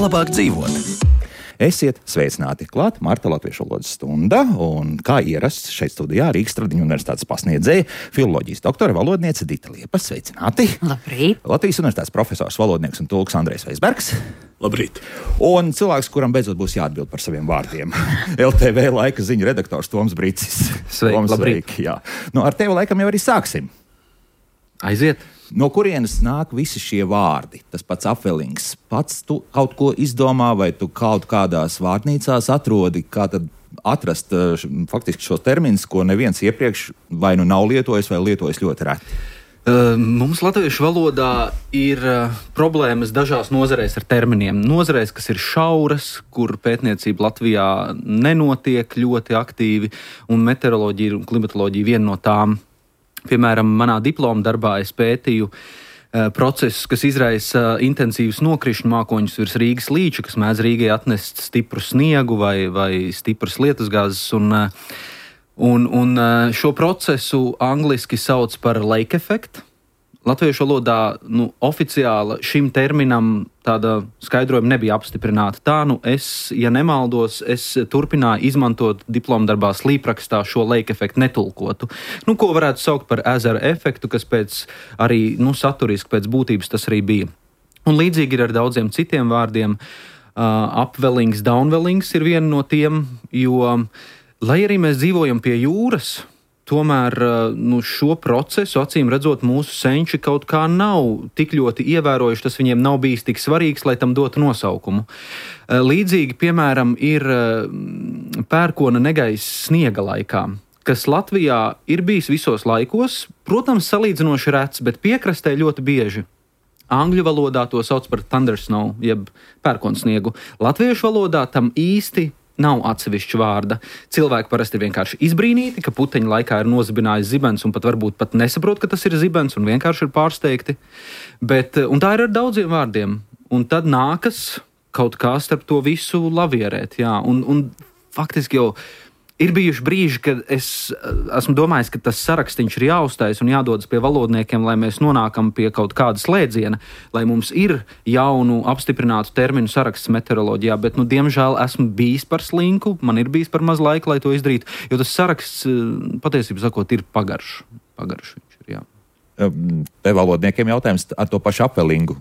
labāk dzīvot. Esiet sveicināti klāt Marta Latviešu valodas stunda, un kā ierasts šeit studijā Rīgas Tradiņu universitātes pasniedzēja filoloģijas doktore valodniece Dita Liepa. Sveicināti! Labrīt! Latvijas universitātes profesors, valodnieks un tulks Andrejs Veisbergs. Labrīt! Un cilvēks, kuram beidzot būs jāatbild par saviem vārdiem. LTV laika ziņu redaktors Toms Bricis. Labrīt! Jā. Ar tevi laikam jau arī sāksim. Aiziet! No kurienes nāk visi šie vārdi? Tas pats apvelings. Pats tu kaut ko izdomā, vai tu kaut kādās vārnīcās atrodi, kā tad atrast faktiski šos terminus, ko neviens iepriekš vai nu nav lietojis, vai lietojis ļoti reti? Mums latviešu valodā ir problēmas dažās nozarēs ar terminiem. Nozarēs, kas ir šauras, kur pētniecība Latvijā nenotiek ļoti aktīvi, un meteoroloģija un klimatoloģija viena no tām. Piemēram, manā diploma darbā es pētīju procesus, kas izraisa intensīvus nokrišņu mākoņus virs Rīgas līča, kas mēdz Rīgai atnest stipru sniegu vai stipras lietusgāzes. Un šo procesu angliski sauc par lake effect. Latviešu valodā oficiāli šim terminam tāda skaidrojuma nebija apstiprināta. Tā, es, ja nemaldos, turpināju izmantot diplomdarbā slīprakstā šo lake efektu netulkotu. Ko varētu saukt par ezera efektu, kas pēc arī saturiski pēc būtības tas arī bija. Un līdzīgi ir ar daudziem citiem vārdiem. Upwellings, downwellings ir viena no tiem, jo, lai arī mēs dzīvojam pie jūras, tomēr šo procesu, acīm redzot, mūsu senči kaut kā nav tik ļoti ievērojuši, tas viņiem nav bijis tik svarīgs, lai tam dotu nosaukumu. Līdzīgi, piemēram, ir pērkona negaiss sniega laikā, kas Latvijā ir bijis visos laikos, protams, salīdzinoši rets, bet piekrastē ļoti bieži. Angļu valodā to sauc par thundersnow, jeb pērkonsniegu. Latviešu valodā tam īsti nav atsevišķa vārda. Cilvēki parasti ir vienkārši izbrīnīti, ka puteņa laikā ir nozibinājis zibens un varbūt pat nesaprot, ka tas ir zibens un vienkārši ir pārsteigti. Un tā ir ar daudziem vārdiem. Un tad nākas kaut kā starp to visu lavierēt. Jā. Un faktiski jau ir bijuši brīži, kad es esmu domājis, ka tas sarakstīns ir jāuztais un jādodas pie valodniekiem, lai mēs nonākam pie kaut kāda slēdziena, lai mums ir jaunu apstiprinātu terminu saraksts meteoroloģijā, bet, diemžēl, esmu bijis par slinku, man ir bijis par maz laika, lai to izdarītu, jo tas saraksts, patiesībā sakot, ir pagaršs. Pagaršs viņš ir, jā. Te valodniekiem jautājums ar to pašu apvelingu.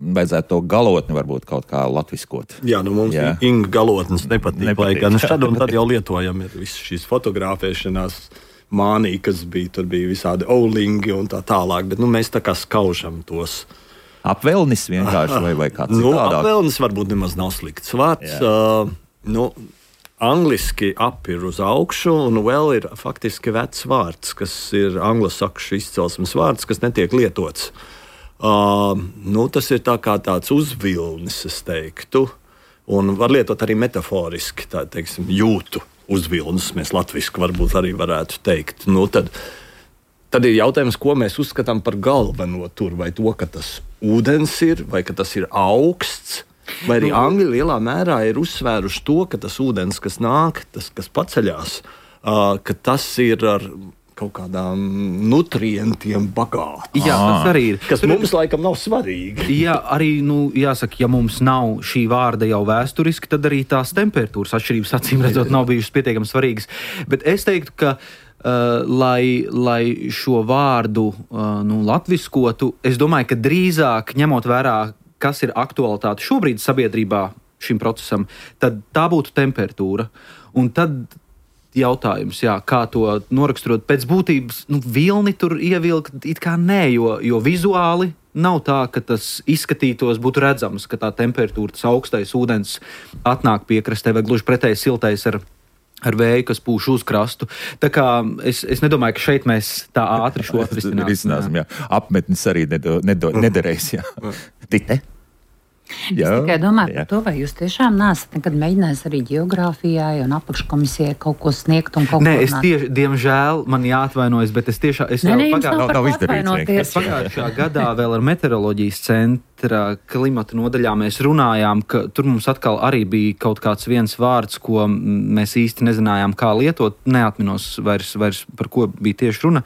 Vajadzētu to galotni varbūt kaut kā latviskot. Jā, mums Inga galotnes nepatīk. Lai gan šad un tad jau lietojam ir visas šīs fotografēšanās mānī, kas bija, tur bija visādi oulingi un tā tālāk, bet mēs tā kā skaužam tos. Apvelnis vienkārši vai kāds citādāk? Apvelnis varbūt nemaz nav slikts vārds. Angliski ap ir uz augšu, un vēl ir faktiski vecs vārds, kas ir anglosakšu izcelsmes vārds, kas netiek lietots. Tas ir tāds uzvilnis, es teiktu, un var lietot arī metaforiski, tā teiksim, jūtu uzvilnis, mēs latviski varbūt arī varētu teikt. Tad ir jautājums, ko mēs uzskatām par galveno tur, vai to, ka tas ūdens ir, vai ka tas ir augsts, vai arī angļi lielā mērā ir uzsvēruši to, ka tas ūdens, kas nāk, tas, kas paceļās, ka tas ir ar kaut kādām nutrientiem bagāts. Jā, tas arī ir. Kas mums laikam nav svarīgi. Jā, arī, jāsaka, ja mums nav šī vārda jau vēsturiski, tad arī tās temperatūras atšķirības acīm redzot nav bijušas pietiekami svarīgas. Bet es teiktu, ka, lai šo vārdu latviskotu, es domāju, ka drīzāk ņemot vērā, kas ir aktualitāte šobrīd sabiedrībā šim procesam, tad tā būtu temperatūra. Un tad jautājums, kā to noraksturot pēc būtības, vilni tur ievilkt it kā nē, jo vizuāli nav tā, ka tas izskatītos, būtu redzams, ka tā temperatūra, tas augstais ūdens atnāk piekrastē vai gluži pretēji siltais ar vēju, kas pūš uz krastu. Tā kā es nedomāju, ka šeit mēs tā ātri šo atrisināsim. Apmetnis arī nederēs, jā. Tite? Es tikai domāju par to, vai jūs tiešām neesat nekad mēģinājis arī geogrāfijai un apakškomisijai kaut ko sniegt un kaut ko runāt? Nē, diemžēl man jāatvainojas, bet es tiešām... Pagājušā gadā vēl ar meteoroloģijas centra klimata nodaļā mēs runājām, ka tur mums atkal arī bija kaut kāds viens vārds, ko mēs īsti nezinājām, kā lietot. Neatminos vairs par ko bija tieši runa.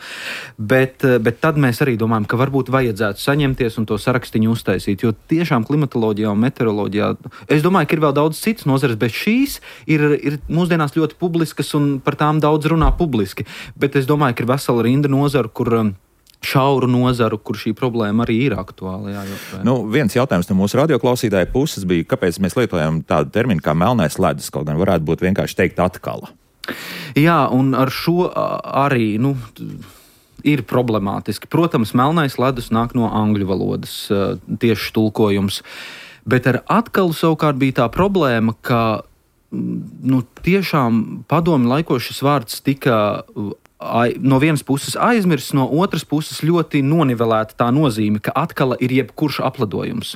Bet tad mēs arī domājam, ka varbūt vajadzētu saņemties un to sarakstiņu uztaisīt, jo tiešām klimatoloģijā un meteoroloģijā. Es domāju, ka ir vēl daudz citas nozares, bet šīs ir mūsdienās ļoti publiskas un par tām daudz runā publiski. Bet es domāju, ka ir vesela rinda nozaru, šauru nozaru, kur šī problēma arī ir aktuāla. Viens jautājums no mūsu radioklausītāja puses bija, kāpēc mēs lietojam tādu terminu kā melnais ledus, kaut gan varētu būt vienkārši teikt atkala. Jā, un ar šo arī, ir problemātiski. Protams, melnais ledus nāk no angļu valodas tieši tulkojums, bet ar atkalu savukārt bija tā problēma, ka tiešām padomju laikos šis vārds tika no vienas puses aizmirsts, no otras puses ļoti nonivelēta tā nozīme, ka atkala ir jebkurš apledojums.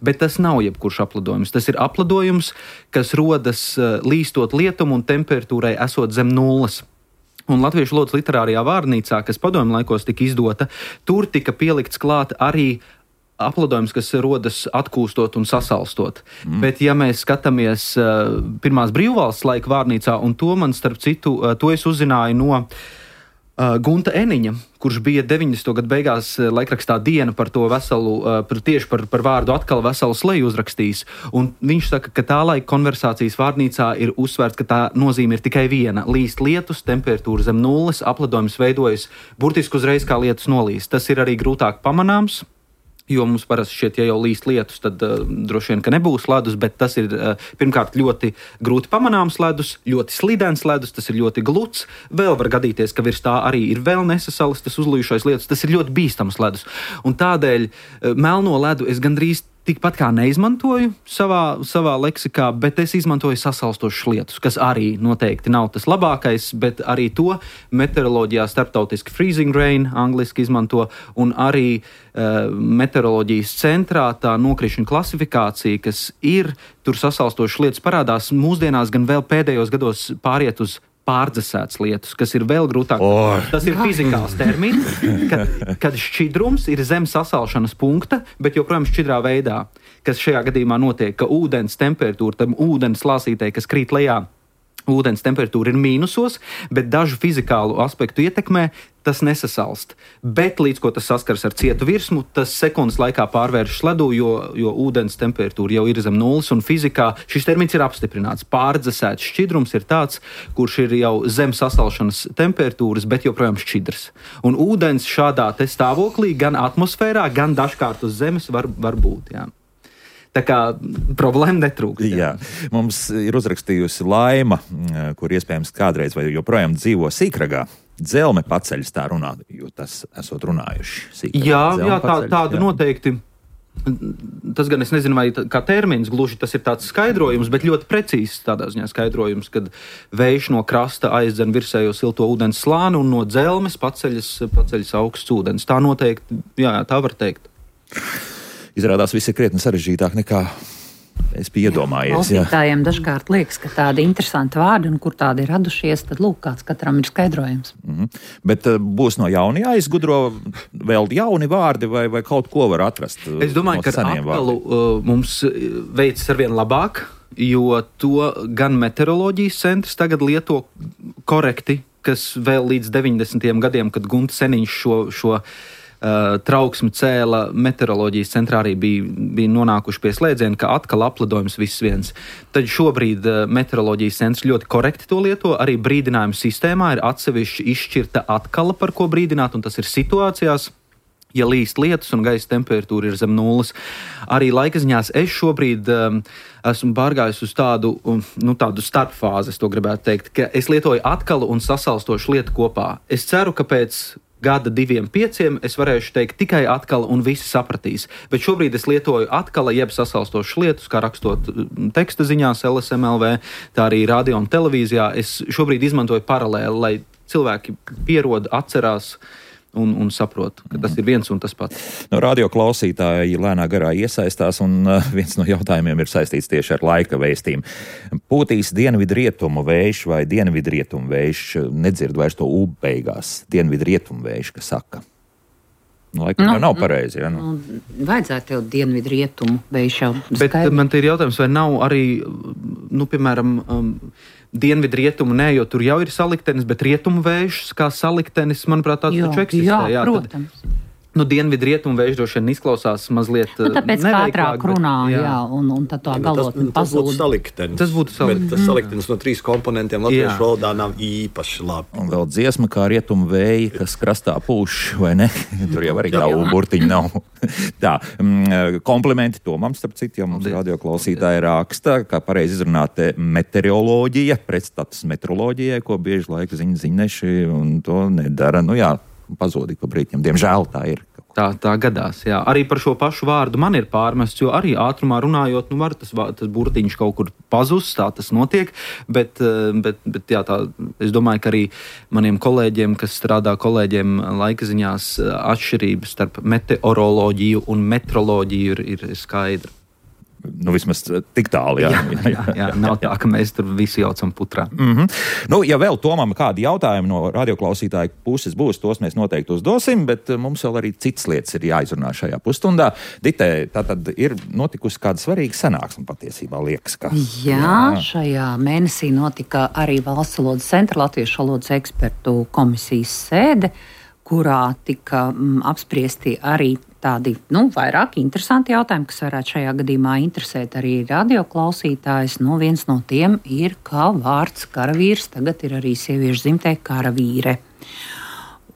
Bet tas nav jebkurš apledojums. Tas ir apledojums, kas rodas līstot lietumu un temperatūrai esot zem nulles. Un Latviešu valodas literārajā vārnīcā, kas padomju laikos tika izdota, tur tika pielikts klāt arī apledojums, kas rodas atkūstot un sasalstot. Bet, ja mēs skatāmies pirmās brīvvalsts laika vārnīcā, un to man starp citu, to es uzzināju no Gunta Eniņa, kurš bija 90. gadu beigās laikrakstā Diena par to veselu, tieši par vārdu atkal veselu sleju uzrakstījis. Un viņš saka, ka tā laika konversācijas vārnīcā ir uzsvērts, ka tā nozīme ir tikai viena. Līst lietus, temperatūra zem nulles, apledojums veidojas burtiski uzreiz kā lietus nolīst. Tas ir arī grūtāk pamanāms, jo mums parasti šķiet, ja jau līst lietus, tad droši vien, ka nebūs ledus, bet tas ir pirmkārt ļoti grūti pamanāms ledus, ļoti slidens ledus, tas ir ļoti gluds. Vēl var gadīties, ka virs tā arī ir vēl nesasalis, tas uzlījušais lietus, tas ir ļoti bīstams ledus. Un tādēļ melno ledu es gandrīz tikpat kā neizmantoju savā leksikā, bet es izmantoju sasalstošus lietus, kas arī noteikti nav tas labākais, bet arī to meteoroloģijā starptautiski freezing rain angliski izmanto, un arī meteoroloģijas centrā tā nokrišņu klasifikācija, kas ir tur sasalstošas lietas parādās, mūsdienās gan vēl pēdējos gados pāriet uz pārdzesēts lietus, kas ir vēl grūtāk. Tas ir fizikāls termins, kad šķidrums ir zem sasalšanas punkta, bet joprojām šķidrā veidā, kas šajā gadījumā notiek, ka ūdens temperatūra, tam ūdens lāsītei, kas krīt lejā, ūdens temperatūra ir mīnusos, bet dažu fizikālu aspektu ietekmē tas nesasalst. Bet līdz ko tas saskars ar cietu virsmu, tas sekundes laikā pārvēršas ledū, jo ūdens temperatūra jau ir zem nulles, un fizikā šis termins ir apstiprināts. Pārdzesēts šķidrums ir tāds, kurš ir jau zem sasalšanas temperatūras, bet joprojām šķidrs. Un ūdens šādā te stāvoklī gan atmosfērā, gan dažkārt uz zemes var būt, jā. Tā kā problēma netrūkst. Jā. Mums ir uzrakstījusi Laima, kur iespējams kādreiz vai joprojām dzīvo Sīkragā. Dzelme paceļas tā runā, jo tas esot runājuši. Jā, tādu noteikti. Tas gan es nezinu, vai kā termins gluži tas ir tāds skaidrojums, bet ļoti precīzs tādā ziņā skaidrojums, kad vējš no krasta aizdzen virsējo silto ūdens slāni un no dzelmes paceļas augsts ūdens. Tā noteikti, jā, tā var teikt. Izrādās viss ir krietni sarežģītāk nekā es biju iedomājies. Klausītājiem dažkārt liekas, ka tādi interesanti vārdi un kur tādi ir radušies, tad lūk, kāds katram ir skaidrojums. Bet būs no jauna jāizgudro vēl jauni vārdi vai kaut ko var atrast? Es domāju, ka atkalu mums veicas arvien labāk, jo to gan meteoroloģijas centrs tagad lieto korekti, kas vēl līdz 90. gadiem, kad Gunta Seniņš šo trauksmi cēla, meteoroloģijas centrā arī bija nonākuši pie slēdziena, ka atkal apledojums viss viens. Tad šobrīd meteoroloģijas centrs ļoti korekti to lieto, arī brīdinājumu sistēmā ir atsevišķi izšķirta atkala, par ko brīdināt, un tas ir situācijās, ja līst lietus un gaisa temperatūra ir zem nulles. Arī laikaziņās es šobrīd esmu pārgājis uz tādu starpfāzi, es to gribētu teikt, ka es lietoju atkalu un sasalstošu lietu kopā. Es ceru, ka pēc gada 2-5 es varēšu teikt tikai atkal un visi sapratīs. Bet šobrīd es lietoju atkal, jeb sasalstošas lietus, kā rakstot teksta ziņās LSMLV, tā arī radio un televīzijā. Es šobrīd izmantoju paralēli, lai cilvēki pierod, atcerās un saprot, ka tas ir viens un tas pats. Radio klausītāji lēnā garā iesaistās, un viens no jautājumiem ir saistīts tieši ar laika vēstīm. Pūtīs dienvidrietumu vējš vai dienvidrietumu vējš, nedzird vairs to U beigās, dienvidrietumu vējš, kas saka. Laikam jau nav pareizi, ja? Vajadzētu jau dienvidrietumu vējš jau skaidri. Bet man te ir jautājums, vai nav arī, piemēram, dienvidrietumu nē, jo tur jau ir saliktenis, bet rietumu vējš kā saliktenis, manuprāt, tāds taču eksistē. Jā, protams. Dienvidu rietumu vējš droši vien izklausās mazliet tāpēc ātrāk runā, un tad tā galotne pazūd. Tas būtu saliktenis. Bet tas saliktenis no 3 komponentiem latviešu valodā nav īpaši labi. Un vēl dziesma kā rietumu vēji, kas krastā pūš, vai ne? Tur jau arī tavu burtiņu nav. Tā, komplimenti Tomam, starp citu, ja mums radioklausītāji raksta, kā pareizi izrunāt meteoroloģija, pretstats meteoroloģijai, ko bieži laika ziņneši, un to nedara. Pazudīt pa brītņiem. Diemžēl tā ir. Tā gadās, jā. Arī par šo pašu vārdu man ir pārmests, jo arī ātrumā runājot, var tas burtiņš kaut kur pazust, tā tas notiek, bet jā, es domāju, ka arī maniem kolēģiem, kas strādā kolēģiem laika ziņās, atšķirības starp meteoroloģiju un metroloģiju ir skaidra. Vismaz tik tālu, jā. Nav tā, ka mēs tur visi jaucam putrā. Ja vēl Tomam kādi jautājumi no radioklausītāju puses būs, tos mēs noteikti uzdosim, bet mums vēl arī citas lietas ir jāizrunā šajā pusstundā. Ditē, tātad ir notikusi kāda svarīga sanāksme patiesībā, liekas, ka. Jā, šajā mēnesī notika arī Valsts valodas centra latviešu valodas ekspertu komisijas sēde, kurā tika apspriesti arī tādi, vairāk interesanti jautājumi, kas varētu šajā gadījumā interesēt arī radioklausītājs. Viens no tiem ir, kā vārds karavīrs tagad ir arī sieviešu dzimtē karavīre.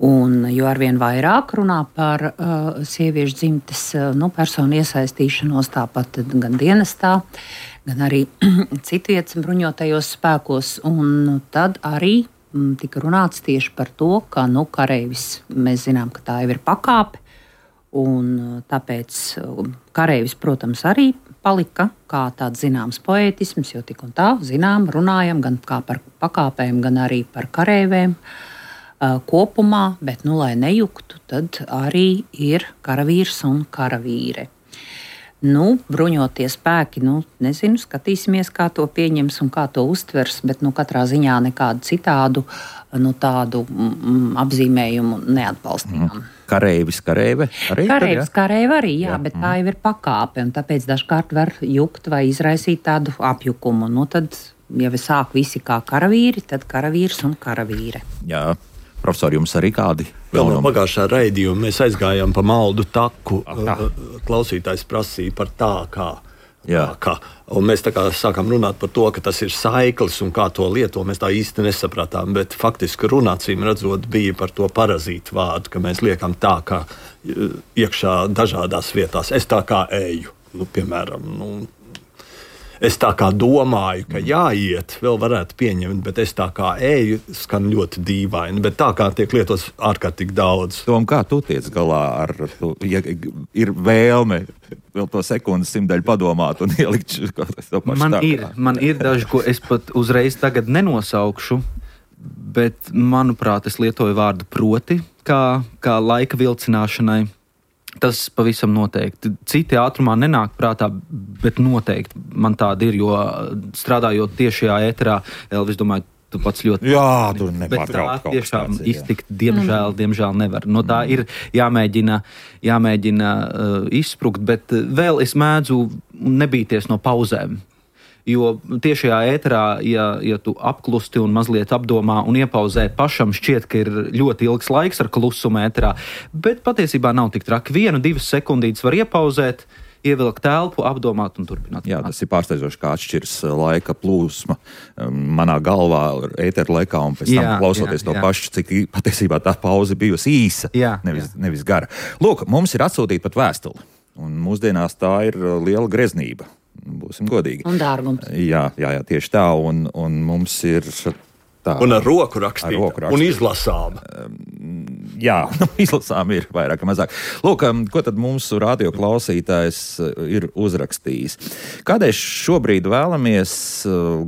Un jo arvien vairāk runā par sieviešu dzimtes personu iesaistīšanos, tāpat gan dienestā, gan arī citvietas bruņotajos spēkos. Un tad arī tika runāts tieši par to, ka kareivis, mēs zinām, ka tā jau ir pakāpe. Un tāpēc kareivis, protams, arī palika kā tāds zināms poētisms, jo tik un tā runājam gan kā par pakāpēm, gan arī par kareivēm kopumā, bet, lai nejuktu, tad arī ir karavīrs un karavīre. Bruņotie spēki, nezinu, skatīsimies, kā to pieņems un kā to uztvers, bet katrā ziņā nekādu citādu tādu apzīmējumu neatbalstījām. Kareivis, kareive arī? Kareivis, kareive arī, jā, bet tā jau ir pakāpe, un tāpēc dažkārt var jukt vai izraisīt tādu apjukumu. Tad, ja sāk visi kā karavīri, tad karavīrs un karavīre. Jā. Profesor, jums arī kādi? Vēl no pagājušā raidījuma mēs aizgājām pa maldu taku. Klausītājs prasīja par tā kā. Un mēs tā kā sākām runāt par to, ka tas ir saiklis un kā to lieto. Mēs tā īsti nesapratām, bet faktiski runācīm redzot bija par to parazītu vārdu, ka mēs liekam tā kā iekšā dažādās vietās. Es tā kā eju, piemēram, es tā kā domāju, ka jāiet, vēl varētu pieņemt, bet es tā kā eju, skan ļoti dīvaini. Bet tā kā tiek lietots ārkārtīgi daudz. Tom, kā tu tiec galā ar to, ja ir vēlme vēl to sekundes simtdaļu padomāt un ielikt to pašu Man ir daži, ko es pat uzreiz tagad nenosaukšu, bet, manuprāt, es lietoju vārdu proti, kā laika vilcināšanai. Tas pavisam noteikti. Citi ātrumā nenāk prātā, bet noteikti man tāda ir, jo strādājot tiešajā ēterā, Elvis, domāju, tu pats ļoti... Jā, tu nepārtraukt kaut tiešām iztikt, diemžēl nevar. No tā ir jāmēģina izsprukt, bet vēl es mēdzu nebīties no pauzēm. Jo tiešajā ēterā, ja tu apklusti un mazliet apdomā un iepauzē, pašam šķiet, ka ir ļoti ilgs laiks ar klusumu ēterā, bet patiesībā nav tik traki. 1-2 sekundītes var iepauzēt, ievilkt telpu, apdomāt un turpināt. Jā, tas ir pārsteidzoši, kā atšķirs laika plūsma manā galvā ētera laikā un pēc tam klausoties to pašu, cik patiesībā tā pauze bijusi īsa, nevis gara. Lūk, mums ir atsūtīta pat vēstuli, un mūsdienās tā ir liela greznība. Būsim godīgi. Un dārgums. Jā, tieši tā, un mums ir tā. Un ar roku rakstīta, un izlasām. Jā, izlasām ir vairāk vai mazāk. Lūk, ko tad mūsu radio klausītājs ir uzrakstījis. Kādēļ šobrīd vēlamies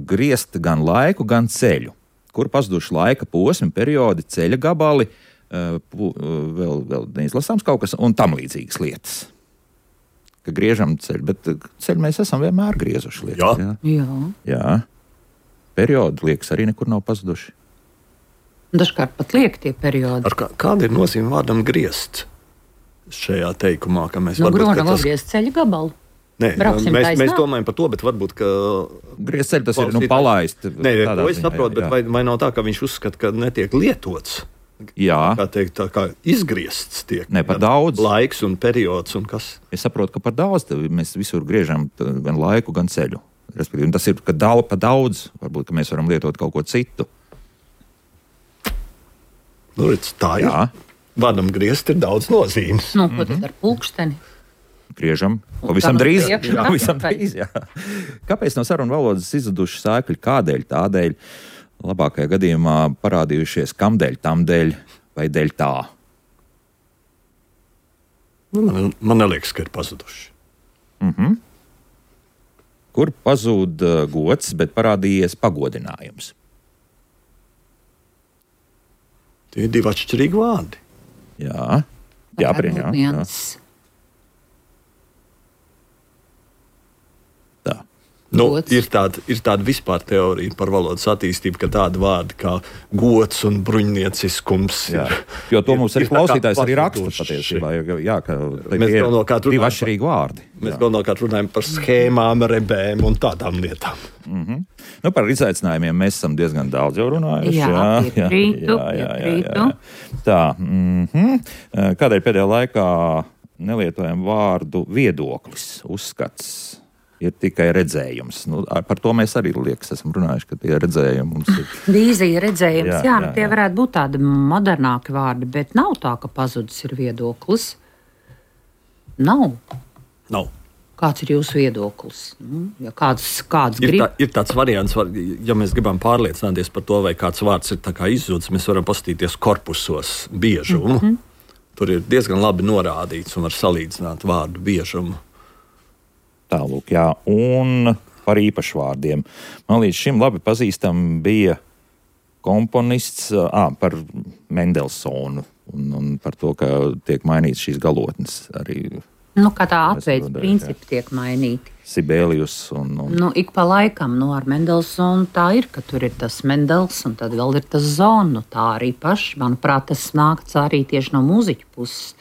griezt gan laiku, gan ceļu? Kur pazuduši laika posmi, periodi, ceļa gabali, vēl neizlasāms kaut kas, un tam līdzīgas lietas. Ka griežam ceļu, bet ceļu mēs esam vienmēr griezuši lietas. Jā. Periodi, liekas, arī nekur nav pazuduši. Dažkārt pat liek tie periodi. Kāda ir nozīme vārdam griezt šajā teikumā, ka mēs grūnam griezt ceļu gabalu? Nē, mēs domājam par to, bet varbūt, ka... Griezt ceļu tas ir palaist. Nē, to es saprotu, bet vai nav tā, ka viņš uzskata, ka netiek lietots? Jā. Tā kā izgriezts tiek. Ne, par daudz. Laiks un periods un kas. Es saprotu, ka par daudz mēs visur griežam gan laiku, gan ceļu. Respektīvi, tas ir par daudz. Varbūt, ka mēs varam lietot kaut ko citu. Nu, redz, tā ir. Jā. Vārdam griezt ir daudz nozīmes. Nu, ko tad ar pulksteni? Griežam. Pavisam drīz. Jā. Kāpēc no sarunu valodas izzuduši sēkļi? Kādēļ? Tādēļ. Labākajā gadījumā parādījušies kamdēļ, tamdēļ vai dēļ tā? Man neliekas, ka ir pazuduši. Kur pazūd gods, bet parādījies pagodinājums? Tie ir divi atšķirīgi vārdi. Jā, jā. Nu, ir tāda vispār teorija par valodas attīstību, ka tāda vārda kā gods un bruņnieciskums ir. Jo to mums arī klausītājs arī raksta patiesībā. Jā, ka mēs galvenokārt divi atšķirīgi vārdi. Mēs galvenokārt runājam par schēmām, rebēm un tādām lietām. Nu, par izaicinājumiem mēs esam diezgan daudz jau runājuši. Jā. Tā. Kādēļ pēdējā laikā nelietojam vārdu viedoklis, uzskats? Ir tikai redzējums. Nu, par to mēs arī esam runājuši, ka tie redzējumi mums ir. Vīzija, redzējums, jā, tie varētu būt tādi modernāki vārdi, bet nav tā, ka pazudis ir viedoklis. Nav. Kāds ir jūsu viedoklis? Ja kāds grib? Ir tāds variants, ja mēs gribam pārliecināties par to, vai kāds vārds ir tā kā izzudis, mēs varam paskatīties korpusos biežumu. Tur ir diezgan labi norādīts un var salīdzināt vārdu biežumu. Tālūk, jā, un par īpašvārdiem. Man līdz šim labi pazīstam bija komponists par Mendelsonu un par to, ka tiek mainīts šīs galotnes arī. Nu, kā tā atveids principi tiek mainīti. Sibelius un... Nu, ik pa laikam, ar Mendelsonu tā ir, ka tur ir tas Mendels un tad vēl ir tas Zonu. Tā arī paši, manuprāt, tas nākts arī tieši no mūziķu puses.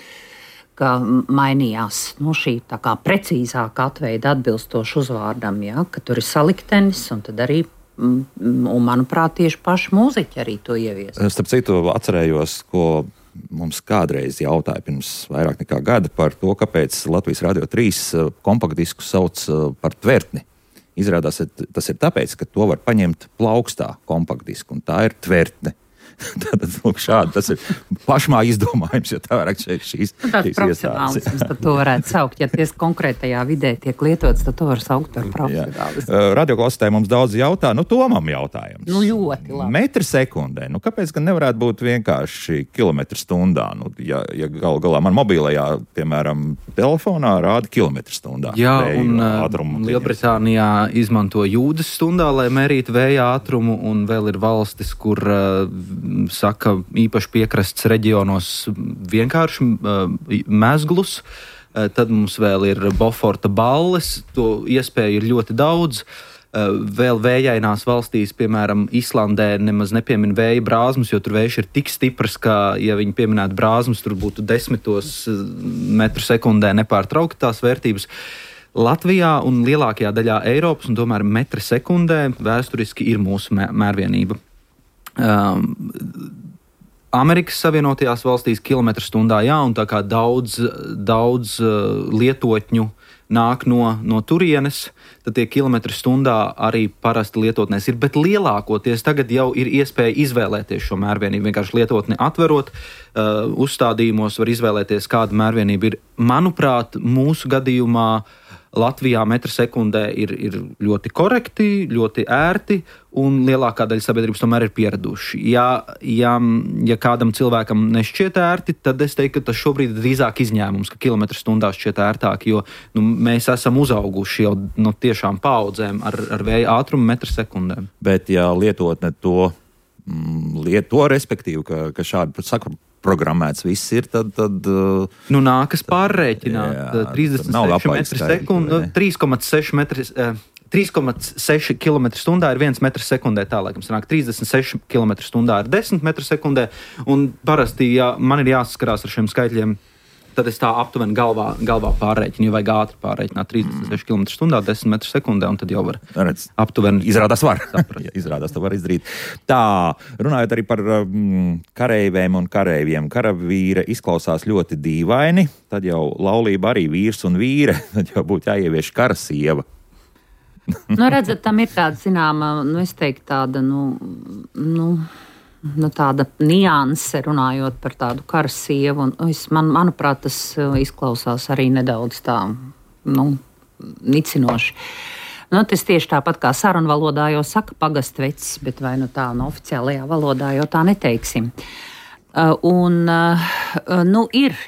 Ka mainījās šī tā kā precīzāka atveida atbilstoši uzvārdam, ka tur ir saliktenis un tad arī, manuprāt, tieši paši mūziķi arī to ievies. Starp citu, atcerējos, ko mums kādreiz jautāja pirms vairāk nekā gada par to, kāpēc Latvijas Radio 3 kompaktdisku sauc par tvertni. Izrādās, tas ir tāpēc, ka to var paņemt plaukstā kompaktdisku, un tā ir tvertne. Tātad, lūk, šādi tas ir pašmā izdomājums, jo tā vairāk šīs profesionālisms, tad to varētu saukt. Ja ties konkrētajā vidē tiek lietots, tad to var saukt par profesionālismu. Radioklausītāji mums daudz jautā, Tomam jautājums. Ļoti labi. Metri sekundē, kāpēc gan nevarētu būt vienkārši kilometri stundā? Ja galā man mobilajā, piemēram, telefonā rāda kilometri stundā. Jā, un Lielbritānijā izmanto jūdzes stundā, lai mērītu vēja ātrumu, un vēl ir valstis, kur saka īpaši piekrastes reģionos vienkārši mezglus. Tad mums vēl ir Boforta balles, to iespēju ir ļoti daudz. Vēl vējainās valstīs, piemēram, Islandē nemaz nepiemin vēja brāzmas, jo tur vējš ir tik stiprs, ka, ja viņi pieminētu brāzmas, tur būtu 10 metru sekundē nepārtraukti tās vērtības. Latvijā un lielākajā daļā Eiropas, un tomēr metri sekundē vēsturiski ir mūsu mērvienība. Amerikas Savienotajās valstīs kilometru stundā, jā, un tā kā daudz lietotņu nāk no turienes, tad tie kilometri stundā arī parasti lietotnēs ir, bet lielākoties tagad jau ir iespēja izvēlēties šo mērvienību. Vienkārši lietotni atverot, uzstādījumos var izvēlēties, kāda mērvienība ir. Manuprāt, mūsu gadījumā Latvijā metru sekundē ir ļoti korekti, ļoti ērti, un lielākā daļa sabiedrības tomēr ir pieraduši. Ja kādam cilvēkam nešķiet ērti, tad es teiktu, ka tas šobrīd ir drīzāk izņēmums, ka kilometru stundā šķiet ērtāk, jo mēs esam uzauguši jau tiešām paudzēm ar vēja ātrumu metru sekundēm. Bet ja lietotne to lieto, respektīvi, ka šādi programmēts viss ir, tad nākas pārrēķināt 36 metri sekundu, 3,6 km stundā ir 1 metrs sekundē, tā laikam sanāk 36 km stundā ir 10 metru sekundē, un parasti, ja man ir jāsaskarās ar šiem skaitļiem tad es tā aptuveni galvā pārreķinu, ja vajag ātri pārreķināt 36 km/h, 10 m/s, un tad jau var aptuveni. Izrādās var. Izrādās to var izdarīt. Tā, runājot arī par kareiviem un kareiviem. Karavīra izklausās ļoti dīvaini, tad jau laulība arī vīrs un vīre, tad jau būtu jāievieš karasieva. Redzat, tam ir tāda, zināma, es teiktu, tāda, tāda nianse runājot par tādu karasievu. Manuprāt, tas izklausās arī nedaudz tā, nicinoši. Tas tieši tāpat kā sarunvalodā jau saka pagastvecis, bet vai tā oficiālajā valodā jau tā neteiksim.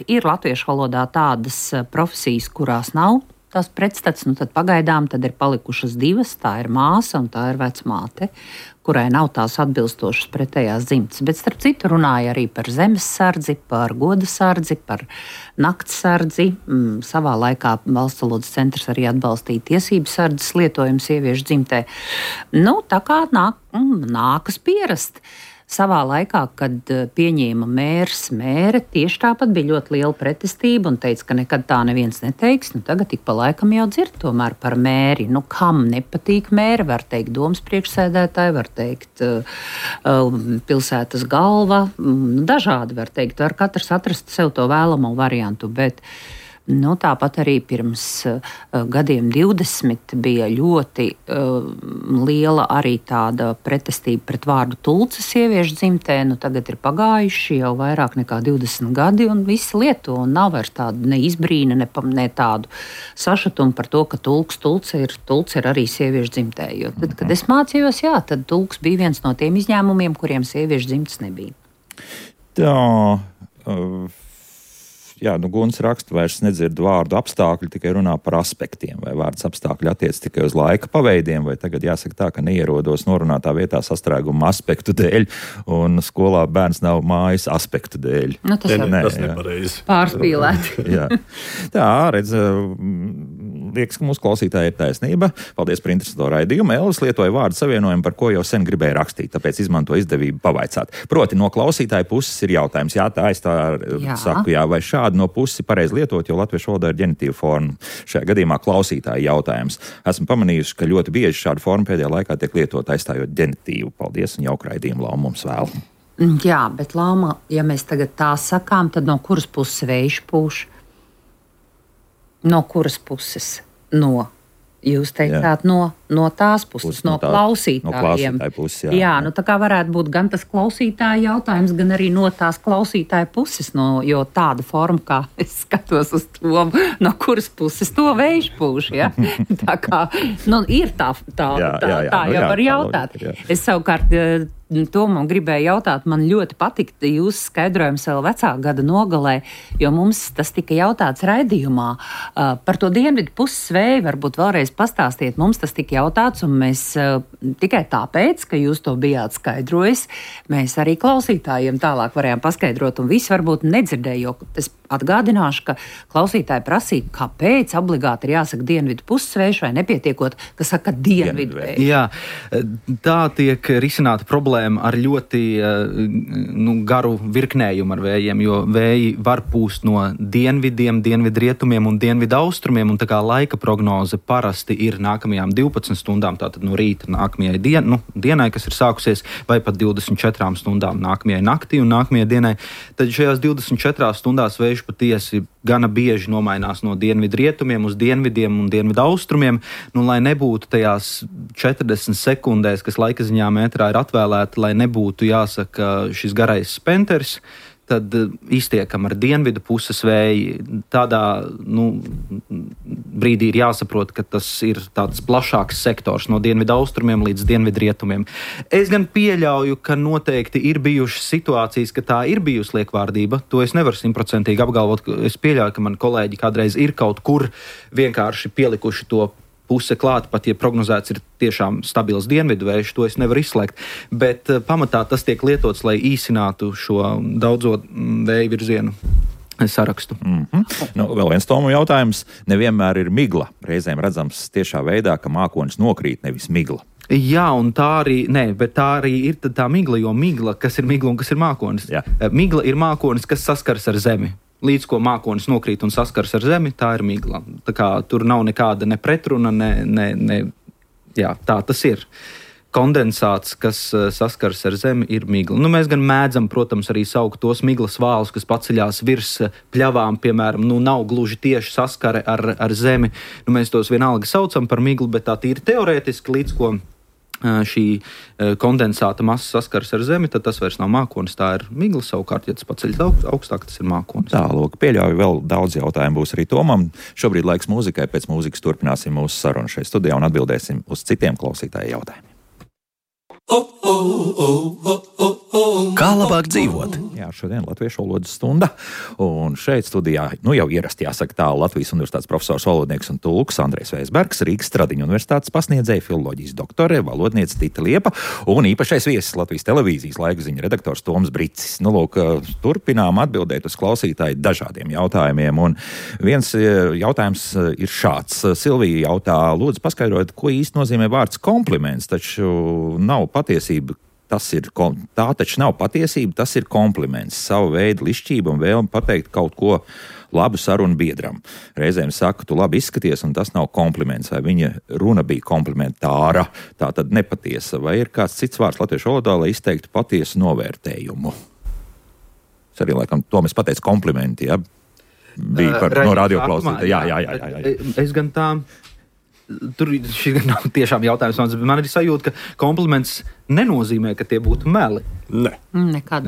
Ir latviešu valodā tādas profesijas, kurās nav tās pretstats, tad pagaidām tad ir palikušas divas, tā ir māsa un tā ir vecmāte, kurai nav tās atbilstošas pretējās dzimtes. Bet starp citu runāja arī par zemessardzi, par godasardzi, par naktsardzi. Savā laikā Valsts valodas centrs arī atbalstīja tiesības sardzes lietojumu sieviešu dzimtē. Tā kā nākas pierast. Savā laikā, kad pieņēma mēre, tieši tāpat bija ļoti liela pretestība un teica, ka nekad tā neviens neteiks. Tagad ik pa laikam jau dzird tomēr par mēri. Kam nepatīk mēre, var teikt domas priekšsēdētāji, var teikt pilsētas galva, dažādi var teikt. Var katrs atrast sev to vēlamo variantu, bet tāpat arī pirms gadiem 20 bija ļoti liela arī tāda pretestība pret vārdu tulce sieviešu dzimtē. Tagad ir pagājuši jau vairāk nekā 20 gadi un visi lieto un nav vairs tāda ne izbrīna, ne tādu sašutumu par to, ka tulce ir arī sieviešu dzimtē. Jo tad, kad es mācījos, tad tulks bija viens no tiem izņēmumiem, kuriem sieviešu dzimtes nebija. Guns raksta, vairs nedzird vārdu apstākļi, tikai runā par aspektiem. Vai vārds apstākļi attiec tikai uz laika paveidiem, vai tagad jāsaka tā, ka neierodos norunātā vietā sastrēguma aspektu dēļ, un skolā bērns nav mājas aspektu dēļ. Tas nepareizi. Pārspīlēti. Tā, redz, liekas, ka mūsu klausītāji ir taisnība. Paldies par interesanto raidījumu. Elvis lietoja vārdu savienojumu, par ko jau sen gribēja rakstīt, tāpēc izmanto izdevību pavaicāt. Proti, no klausītāja puses ir jautājums. Saku, vai šādi no puses pareizi lietot, jo latviešu valodā ir ģenitīva forma. Šajā gadījumā klausītāja jautājums. Esmu pamanījusi, ka ļoti bieži šāda forma pēdējā laikā tiek lietot aizstājot ģenitīvu. Paldies un jauku raidījumu, Lauma, mums vēl. Jā, bet Lauma, ja mēs tagad tā sakām, tad no kuras puses vējš pūš? No kuras puses? Jūs teicāt, no tās puses, no klausītājiem. Puses, tā kā varētu būt gan tas klausītāja jautājums, gan arī no tās klausītāja puses, jo tāda forma, kā es skatos uz to, no kuras puses to vējš pūš, Tā kā, ir tā jau var jautāt. Es savukārt Tomam gribēju jautāt, man ļoti patika jūsu skaidrojums vēl vecāka gada nogalē, jo mums tas tika jautāts raidījumā par to dienvidu puses vēju, varbūt vēlreiz pastāstiet, mums tas tika jautāts, un mēs tikai tāpēc, ka jūs to bijāt skaidrojis, mēs arī klausītājiem tālāk varējām paskaidrot, un visi varbūt nedzirdēja, jo es atgādināšu, ka klausītāji prasīja, kāpēc obligāti ir jāsaka dienvidu puses vējš vai nepietiekot, ka saka dienvidu vējš. Jā, tā tiek risināta problēma ar ļoti garu virknējumu ar vējiem, jo vēji var pūst no dienvidiem, dienvidrietumiem un dienvidaustrumiem, un tā kā laika prognoze parasti ir nākamajām 12 stundām, tātad no rīta nākamajai dienai, kas ir sākusies, vai pat 24 stundām nākamajai naktī un nākamajai dienai, tad šajās 24 stundās vējš patiesi gana bieži nomainās no dienvidrietumiem uz dienvidiem un dienvidaustrumiem, lai nebūtu tajās 40 sekundēs, kas laika ziņā metrā ir atvēlēta, lai nebūtu jāsaka šis garais spenters, tad iztiekam ar dienvidu puses vēju. Tādā brīdī ir jāsaprot, ka tas ir tāds plašāks sektors no dienvidu austrumiem līdz dienvidrietumiem. Es gan pieļauju, ka noteikti ir bijušas situācijas, ka tā ir bijusi liekvārdība. To es nevaru 100% apgalvot. Es pieļauju, ka mani kolēģi kādreiz ir kaut kur vienkārši pielikuši to puse klāt, pat ja prognozēts ir tiešām stabils dienvidu vējš, to es nevaru izslēgt. Bet pamatā tas tiek lietots, lai īsinātu šo daudzo vēju virzienu sarakstu. Vēl viens Tomu jautājums. Nevienmēr ir migla. Reizēm redzams tiešā veidā, ka mākonis nokrīt, nevis migla. Jā, un tā arī ir tā migla, jo migla, kas ir migla un kas ir mākonis? Jā. Migla ir mākonis, kas saskars ar zemi. Līdz ko mākonis nokrīt un saskars ar zemi, tā ir migla. Tā kā tur nav nekāda ne pretruna, jā, tā tas ir. Kondensāts, kas saskars ar zemi, ir migla. Nu, mēs gan mēdzam, protams, arī saukt tos miglas vālus, kas paceļās virs pļavām, piemēram, nav gluži tieši saskare ar zemi. Nu, mēs tos vienalga saucam par miglu, bet tā tīri teorētiski, līdz ko šī kondensāta masa saskars ar zemi, tad tas vairs nav mākonis, tā ir migla. Savukārt, ja tas paceļas augstāk, tas ir mākonis. Tā, lūk, pieļauju, vēl daudz jautājumu būs arī Tomam. Šobrīd laiks mūzikai, pēc mūzikas turpināsim mūsu sarunu šeit studijā un atbildēsim uz citiem klausītāju jautājumiem. Kā labāk dzīvot? Jā, šodien latviešu valodas stunda, un šeit studijā, jau ierasti jāsaka tā, Latvijas universitātes profesors, valodnieks un tulks Andrejs Veisbergs, Rīgas Stradiņu universitātes pasniedzēja, filoloģijas doktore, valodniece Tita Liepa un īpašais viesis Latvijas televīzijas laikziņu redaktors Toms Bricis. Lūk, turpinām atbildēt uz klausītāju dažādiem jautājumiem, un viens jautājums ir šāds. Silvija jautā, lūdzu paskaidrot, ko īsti nozīmē vārds kompliments, taču nav patiesība. Tā taču nav patiesība, tas ir kompliments, savu veidu lišķība un vēlme pateikt kaut ko labu sarunu biedram. Reizēm saka, tu labi izskaties, un tas nav kompliments, vai viņa runa bija komplementāra, tā tad nepatiesa, vai ir kāds cits vārds latviešu valodā, lai izteiktu patiesu novērtējumu. Es arī, laikam, to mēs pateicu komplimenti, ja? Bija par no radioklausītāja. Jā. Es gan tā... Tur šis nav tiešām jautājums, bet man ir sajūta, ka kompliments nenozīmē, ka tie būtu meli. Nē. Nekad.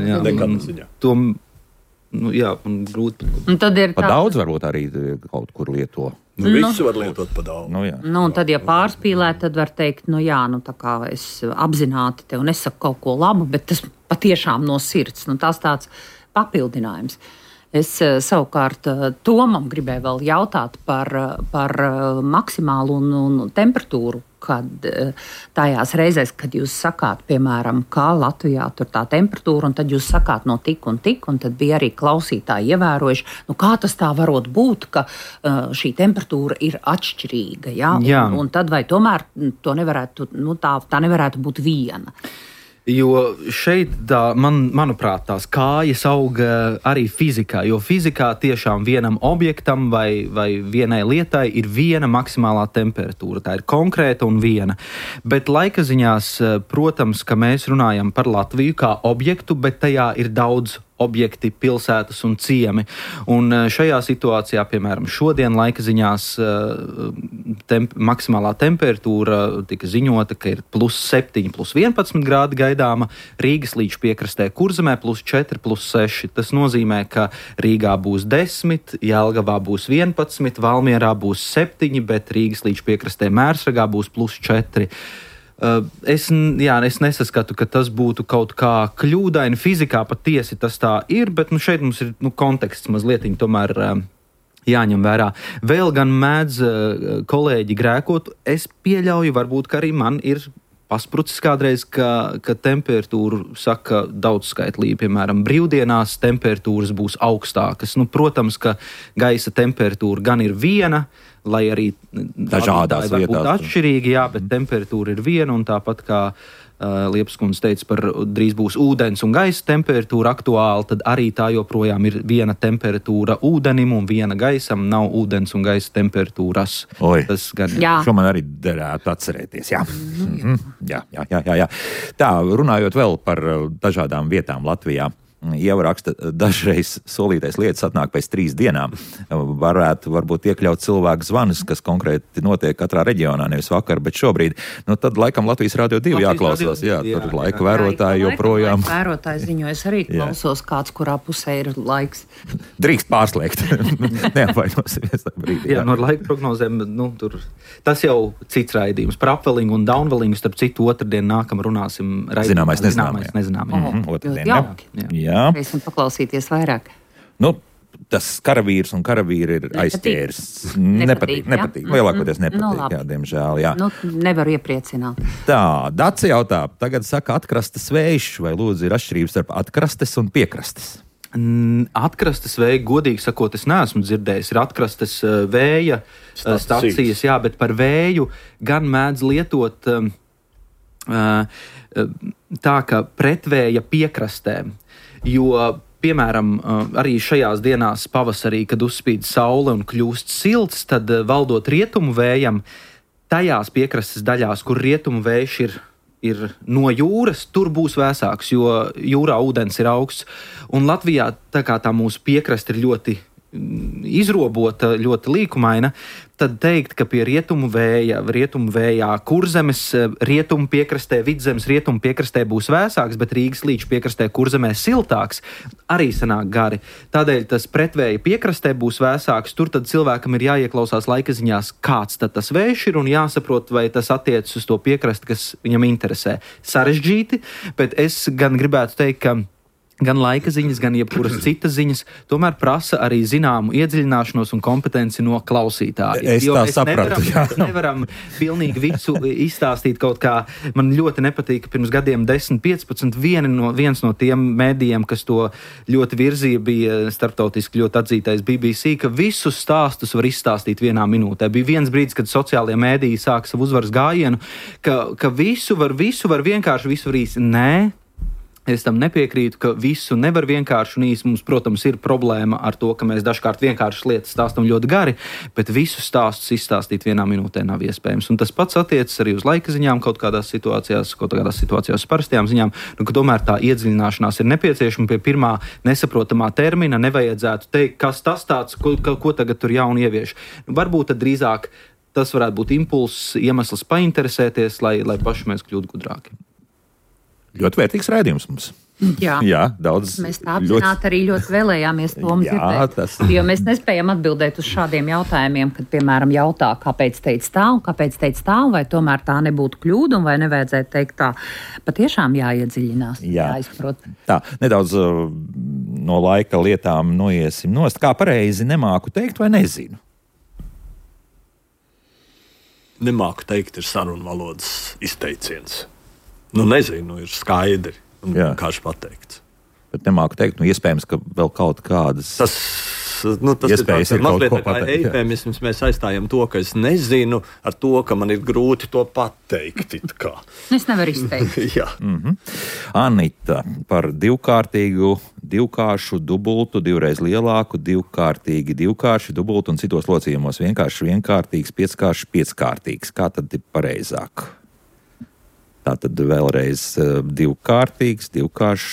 To, un grūti. Un tad ir pa daudz varbūt arī kaut kur lieto. Visu var lietot pa daudz. Un tad, ja pārspīlēt, tad var teikt, tā kā es apzināti tev nesaku kaut ko labu, bet tas patiešām no sirds. Tas tāds papildinājums. Es savukārt Tomam gribēju vēl jautāt par maksimālu un temperatūru, kad tajās reizēs, kad jūs sakāt, piemēram, kā Latvijā tur tā temperatūra, un tad jūs sakāt no tik, un tad bija arī klausītāji ievērojuši, kā tas tā varot būt, ka šī temperatūra ir atšķirīga, ja? Un tad vai tomēr to nevarētu, tā nevarētu būt viena? Jo šeit, manuprāt, tās kājas aug arī fizikā, jo fizikā tiešām vienam objektam vai vienai lietai ir viena maksimālā temperatūra. Tā ir konkrēta un viena. Bet laika ziņās, protams, ka mēs runājam par Latviju kā objektu, bet tajā ir daudz objekti, pilsētas un ciemi. Un šajā situācijā, piemēram, šodien laika ziņās maksimālā temperatūra tika ziņota, ka ir +7, +11 grādi gaidāma, Rīgas līča piekrastē Kurzemē +4, +6. Tas nozīmē, ka Rīgā būs 10, Jelgavā būs 11, Valmierā būs 7, bet Rīgas līča piekrastē Mērsragā būs +4. Es nesaskatu, ka tas būtu kaut kā kļūdaini. Fizikā patiesi tas tā ir, bet šeit mums ir konteksts mazliet tomēr jāņem vērā. Vēl gan mēdz kolēģi grēkot. Es pieļauju, varbūt, ka arī man ir pasprucis kādreiz, ka temperatūra saka daudzskaitlīgi. Piemēram, brīvdienās temperatūras būs augstākas. Protams, ka gaisa temperatūra gan ir viena, lai arī dažādās var būt vietās atšķirīgi, bet temperatūra ir viena, un tāpat kā Liepas kundze teica par drīz būs ūdens un gaisa temperatūra aktuāla, tad arī tā joprojām ir viena temperatūra ūdenim un viena gaisam, nav ūdens un gaisa temperatūras. Tas gan šo man arī derētu atcerēties, jā. Jā. Tā, runājot vēl par dažādām vietām Latvijā. Ieva raksta, dažreiz solītais lietas atnāk pēc 3 dienām. Varētu varbūt iekļaut cilvēku zvanus, kas konkrēti notiek katrā reģionā, nevis vakar, bet šobrīd. Tad laikam Latvijas Radio 2 jāklausās. Tur laika vērotāji joprojām. Laika vērotāji ziņo, es arī klausos kāds, kurā pusē ir laiks. Drīkst pārslēgt. Neapvainosimies tā brīdī. Jā, no laika prognozēm, tas jau cits raidījums. Par upwellingu un downwellingu, starp citu, otrdien nākam runāsim. Zināmais nezināmais. Otrdien. Gribēsim paklausīties vairāk. Tas karavīrs un karavīri ir aizķēris. Nepatīk. Lielākoties nepatīk, diemžēl. Jā. Nevaru iepriecināt. Tā, Daci jautā, tagad saka atkrastes vējš, vai lūdzu ir atšķirības starp atkrastes un piekrastes? Atkrastes vēja, godīgi sakot, es neesmu dzirdējis. Ir atkrastes vēja stacijas, bet par vēju gan mēdz lietot tā, ka pretvēja piekrastēm. Jo piemēram, arī šajās dienās pavasarī, kad uzspīd saule un kļūst silts, tad valdot rietumu vējam, tajās piekrastes daļās, kur rietumu vējš ir no jūras, tur būs vēsāks, jo jūrā ūdens ir augsts. Un Latvijā tā kā tā mūsu piekraste ir ļoti izrobota, ļoti līkumaina, tad teikt, ka pie rietumu vējā Kurzemes rietumu piekrastē, Vidzemes rietumu piekrastē būs vēsāks, bet Rīgas līča piekrastē Kurzemē siltāks, arī sanāk gari. Tādēļ tas pretvēja piekrastē būs vēsāks, tur tad cilvēkam ir jāieklausās laikaziņās, kāds tad tas vējš ir un jāsaprot, vai tas attiecas uz to piekrasti, kas viņam interesē. Sarežģīti, bet es gan gribētu teikt, ka gan laika ziņas, gan jebkuras citas ziņas tomēr prasa arī zināmu iedziļināšanos un kompetenci no klausītāja. Es tā sapratu, Mēs nevaram pilnīgi visu izstāstīt kaut kā. Man ļoti nepatīk, ka pirms gadiem 10-15 viens no tiem mēdījiem, kas to ļoti virzīja, bija starptautiski ļoti atzītais BBC, ka visus stāstus var izstāstīt vienā minūtē. Bija viens brīdis, kad sociālie mēdīji sāka savu uzvaras gājienu, ka visu var vienkārši, visu var īsi. Nē. Es tam nepiekrītu, ka visu nevar vienkārši un īsi. Mums, protams, ir problēma ar to, ka mēs dažkārt vienkāršas lietas stāstam ļoti gari, bet visus stāstus izstāstīt vienā minūtē nav iespējams. Un tas pats attiecas arī uz laika ziņām kaut kādās situācijās uz parastajām ziņām, ka tomēr tā iedziļināšanās ir nepieciešama. Pie pirmā nesaprotamā termina nevajadzētu teikt, kas tas tāds, ko tagad tur jaunu ievieš. Varbūt tad drīzāk tas varētu būt impulss, iemesls painteresēties, lai paši mēs kļūtu gudrāki. Ļoti vērtīgs raidījums mums. Jā, daudz. Mēs tā apzināti arī ļoti vēlējāmies to dzirdēt. Jo mēs nespējam atbildēt uz šādiem jautājumiem, kad, piemēram, jautā, kāpēc teica tā un kāpēc teica tā, vai tomēr tā nebūtu kļūda un vai nevajadzētu teikt tā. Patiešām jāiedziļinās, jāizprot. Tā, nedaudz no laika lietām noiesim nost. Kā pareizi nemāku teikt vai nezinu? Nemāku teikt ir sarunvalodas izteiciens. Nezinu, ir skaidri un vienkārši pateikts. Bet nemāku teikt, iespējams, ka vēl kaut kādas iespējas ir mazliet kā eifemisms. Mēs aizstājam to, ka es nezinu, ar to, ka man ir grūti to pateikt. Es nevaru izteikt. Anita, par divkāršu, dubultu, divreiz lielāku, divkārši, dubultu un citos locījumos vienkārtīgs, pieckārtīgs. Kā tad ir pareizāk? Tātad vēlreiz divkārtīgs,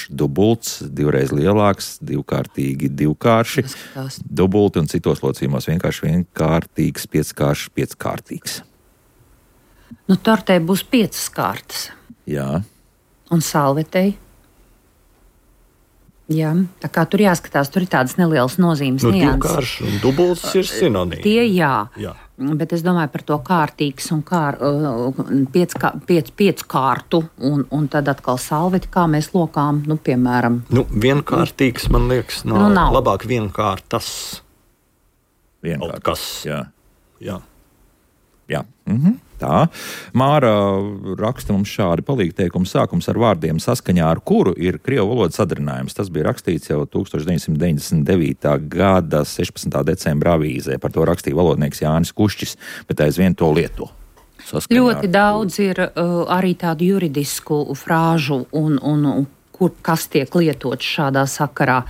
dubults, divreiz lielāks, divkārši, dubulti un citos locījumos vienkārtīgs, pieckārtīgs. Tortei būs 5 kārtas. Jā. Un salvetei. Jā, tā kā tur jāskatās, tur ir tādas nelielas nozīmes nianses. Divkārši un dubults ir sinonīmi. Tie jā. Bet es domāju par to kārtīgs un pieckārtu un tad atkal salveti, kā mēs lokām, piemēram. Vienkārtīgs, man liekas, nav. Labāk vienkārtas. Vienkārtas, jā. Tā. Māra raksta mums šādi palīgteikumu sākums ar vārdiem, saskaņā ar kuru ir krievu valodas sadarinājums. Tas bija rakstīts jau 1999. gada 16. decembra avīzē. Par to rakstīja valodnieks Jānis Kušķis, bet aizvien to lieto. Ļoti daudz ir arī tādu juridisku frāžu un kas tiek lietots šādā sakarā.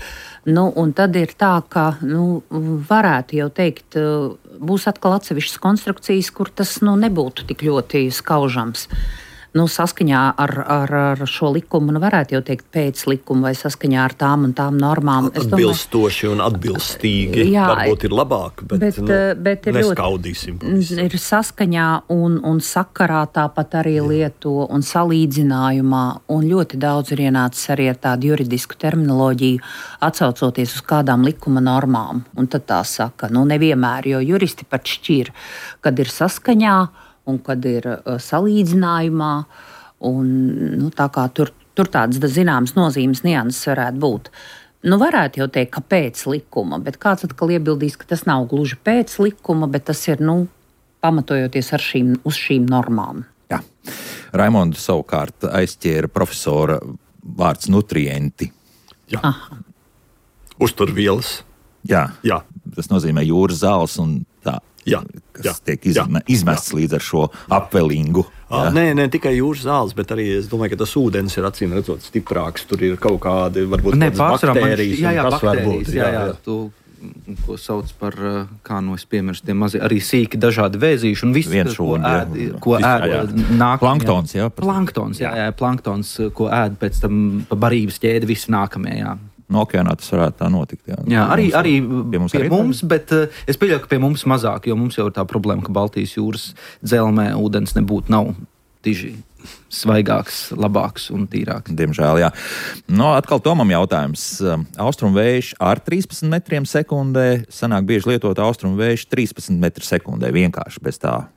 Un tad ir tā, ka varētu jau teikt, būs atkal atsevišķas konstrukcijas, kur tas nebūtu tik ļoti skaužams. Saskaņā ar šo likumu, varētu jau teikt pēc likuma vai saskaņā ar tām un tām normām. Atbilstoši un atbilstīgi. Varbūt ir labāk, bet neskaudīsim. Ir saskaņā un sakarā tāpat arī lieto un salīdzinājumā. Un ļoti daudz ir ienācis arī ar tādu juridisku terminoloģiju, atsaucoties uz kādām likuma normām. Un tad tā saka, nevienmēr, jo juristi pat šķir, kad ir saskaņā, un kad ir salīdzinājumā, un tā kā tur tādas zināmas nozīmes nianses varētu būt. Varētu jau teikt, ka pēc likuma, bet kāds atkal iebildīs, ka tas nav gluži pēc likuma, bet tas ir, pamatojoties uz šīm normām. Jā. Raimondu savukārt aizķēra profesora vārds nutrienti. Jā. Uzturvielas. Jā. Tas nozīmē jūras zāles un tā. Jā. kas tiek izmests līdz ar šo apvelingu. Nē, tikai jūras zāles, bet arī es domāju, ka tas ūdens ir acīm redzot stiprāks. Tur ir kaut kādi, varbūt baktērijas. Baktērijas, ko sauc par, kā no es piemirstu, tie mazie, arī sīki dažādi vēzīši un viss, ko ēd nāk. Planktons, planktons, ko ēd pēc tam pa barības ķēdi visi nākamie, No okeānā tas varētu tā notikt. Arī pie mums, bet es pieļauju, ka pie mums mazāk, jo mums jau ir tā problēma, ka Baltijas jūras dzelmē ūdens nav diži svaigāks, labāks un tīrāks. Diemžēl, jā. Atkal Tomam jautājums. Austrumvējš ar 13 metriem sekundē, sanāk bieži lietot austrumvējš 13 metru sekundē, vienkārši bez tā.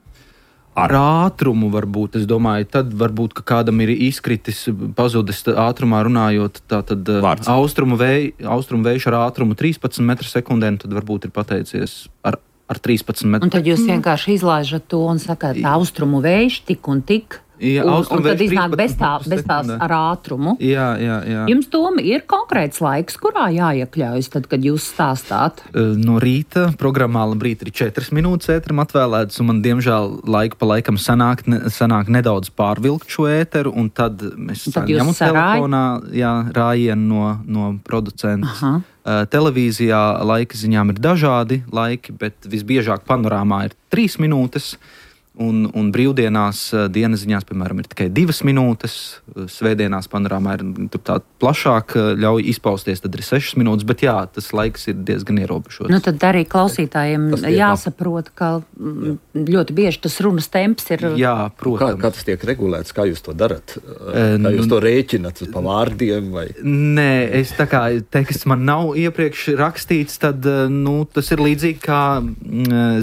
Ar ātrumu varbūt, es domāju, tad varbūt, ka kādam ir izkritis, pazudis ātrumā runājot, tātad austrumvējš ar ātrumu 13 metru sekundē, tad varbūt ir pateicies ar 13 metru. Un tad jūs vienkārši izlaižat to un sakāt, austrumu vējš tik un tik. Un tad iznāk bez tās ar ātrumu. Jā. Jums, Toma, ir konkrēts laiks, kurā jāiekļaujas, tad, kad jūs stāstāt? No rīta programmā labrīt ir 4 minūtes ēteram atvēlētas, un man, diemžēl, laiku pa laikam sanāk nedaudz pārvilkt šo ēteru, un tad mēs ņemam telefonā rājienu no producentas. Televīzijā laika ziņām ir dažādi laiki, bet visbiežāk panorāmā ir 3 minūtes. Un brīvdienās, dienas ziņās, piemēram, ir tikai 2 minūtes. Svētdienās panorāmā ir tā plašāk, ļauj izpausties, tad ir 6 minūtes. Bet jā, tas laiks ir diezgan ierobežots. Tad arī klausītājiem jāsaprot, ka ļoti bieži tas runas temps ir. Jā, protams. Kā tas tiek regulēts? Kā jūs to darat? Kā jūs to rēķinat pa vārdiem? Vai? Nē, es tā kā teksts man nav iepriekš rakstīts, tad tas ir līdzīgi kā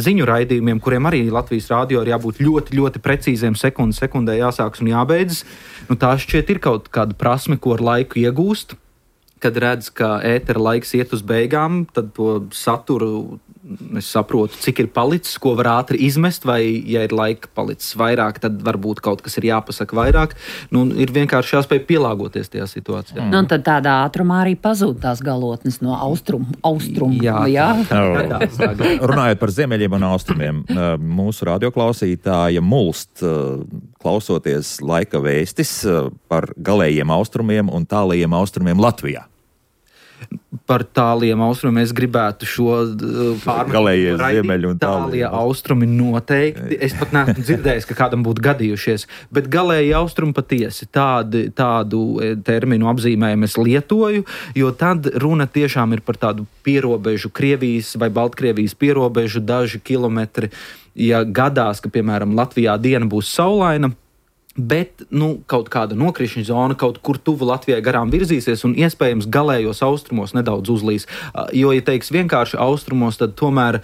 ziņu raidījumiem, kuriem arī Latvijas rādio ir jābūt ļoti, ļoti precīziem sekundē jāsāks un jābeidzas. Tā šķiet ir kaut kāda prasme, ko ar laiku iegūst. Kad redz, ka ētera laiks iet uz beigām, tad to saturu es saprotu, cik ir palicis, ko var ātri izmest, vai, ja ir laika palicis vairāk, tad varbūt kaut kas ir jāpasaka vairāk. Ir vienkārši jāspēj pielāgoties tajā situācijā. Tad tādā ātrumā arī pazūd tās galotnes no austrumu. Jā. Runājot par ziemeļiem un austrumiem, mūsu radioklausītāja mulst, klausoties laika vēstis par galējiem austrumiem un tālajiem austrumiem Latvijā. Par tāliem austrumiem es gribētu šo galējie ziemeļi un tālie austrumi noteikti. Es pat neesmu dzirdējis, ka kādam būtu gadījušies, bet galēji austrumi patiesi tādu terminu apzīmējumu es lietoju, jo tad runa tiešām ir par tādu pierobežu Krievijas vai Baltkrievijas pierobežu daži kilometri. Ja gadās, ka, piemēram, Latvijā diena būs saulaina, bet kaut kāda nokrišņa zona kaut kur tuvu Latvijai garām virzīsies un iespējams galējos austrumos nedaudz uzlīs. Jo, ja teiks vienkārši austrumos, tad tomēr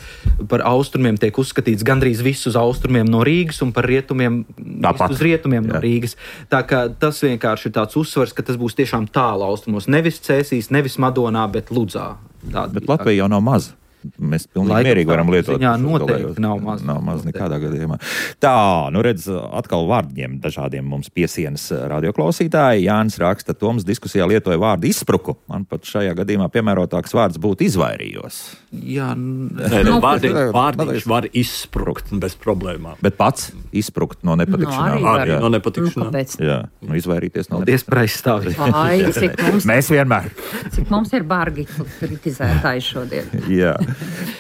par austrumiem tiek uzskatīts gandrīz viss uz austrumiem no Rīgas un par rietumiem uz rietumiem no Rīgas. Tā kā tas vienkārši ir tāds uzsvars, ka tas būs tiešām tālu austrumos. Nevis Cēsīs, nevis Madonā, bet Ludzā. Bet Latvija jau nav maza. Mēs pilnīgi mierīgi varam lietot. Jā, noteikti nav maz. Nav maz nekādā gadījumā. Tā, redz, atkal vārdiem dažādiem mums piesienas radioklausītāji. Jānis raksta, Toms diskusijā lietoja vārdu izspruku. Man pat šajā gadījumā piemērotāks vārds būtu izvairījos. Jā, vārdiņš var izsprukt bez problēmām. Bet pats izsprukt no nepatikšanām. Arī no nepatikšanām. Jā, izvairīties no nepatikšanām. Mēs vienmēr. Cik mums ir bargi kritizētāji šodien. Jā.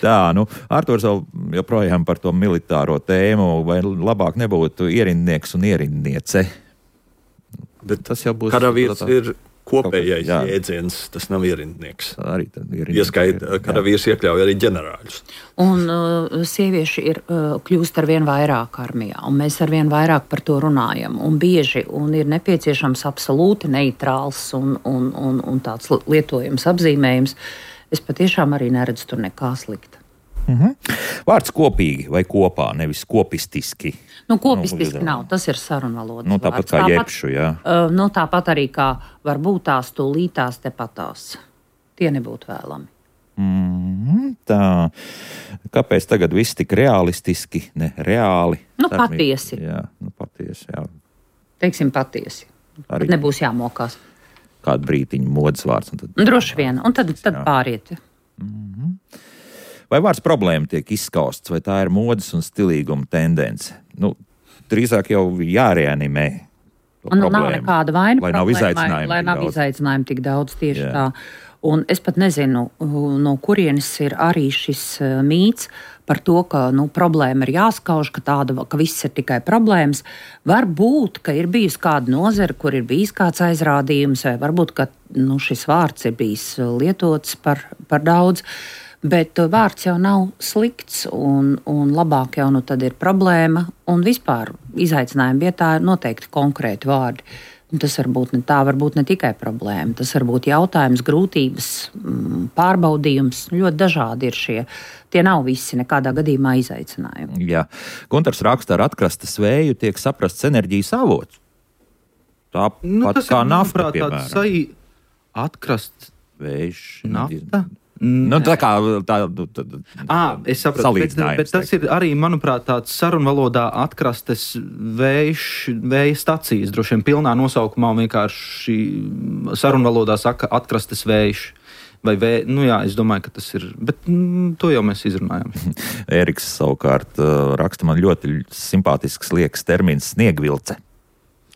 Tā, Arturs joprojām par to militāro tēmu, vai labāk nebūtu ierindnieks un ierindniece? Bet tas jau būs... Karavīrs ir kopējais jēdziens, tas nav ierindnieks. Arī karavīrs iekļauj arī ģenerāļus. Un sievieši kļūst arvien vairāk armijā, un mēs arvien vairāk par to runājam. Un bieži ir nepieciešams absolūti neitrāls un tāds lietojams apzīmējums. Es patiešām arī neredzu tur nekā slikta. Vārds kopīgi vai kopā, nevis kopistiski. Kopistiski nav, tas ir sarunvalodas tāpat vārds. Kā jebšu, jā. Tāpat arī kā varbūt tās tūlītās tepatās. Tie nebūtu vēlami. Tā. Kāpēc tagad viss tik realistiski, ne reāli? Patiesi. Jā, patiesi, jā. Teiksim patiesi. Tad nebūs jāmokās. Kādu brītiņu modes vārds. Droši vien, un tad pāriet. Vai vārds problēma tiek izskausts, vai tā ir modes un stilīguma tendence? Drīzāk jau jāreanimē. Nav nekāda vaina, lai nav izaicinājumu tik daudz tieši tā. Un es pat nezinu, no kurienes ir arī šis mīts par to, ka problēma ir jāskauž, ka viss ir tikai problēmas. Varbūt, ka ir bijusi kāda nozara, kur ir bijis kāds aizrādījums, vai varbūt, ka šis vārds ir bijis lietots par daudz, bet vārds jau nav slikts, un labāk jau tad ir problēma, un vispār izaicinājuma vietā ir noteikti konkrēti vārdi. Tas varbūt ne tikai problēma, tas var būt jautājums, grūtības, pārbaudījums. Ļoti dažādi ir šie. Tie nav visi nekādā gadījumā izaicinājumi. Jā. Guntars raksta, ar atkrastes vēju tiek saprasts enerģijas avots. Tāpat kā nafta, piemēram. Atkrastes vējš. Nafta? Tā kā es saprotu, bet tas ir arī, manuprāt, tāds sarunvalodā atkrastes vēja stacijas, droši vien pilnā nosaukumā vienkārši sarunvalodā saka atkrastes vējš. Vai es domāju, ka tas ir, bet to jau mēs izrunājam. Eriks savukārt raksta, man ļoti simpātisks liekas termins sniegvilce.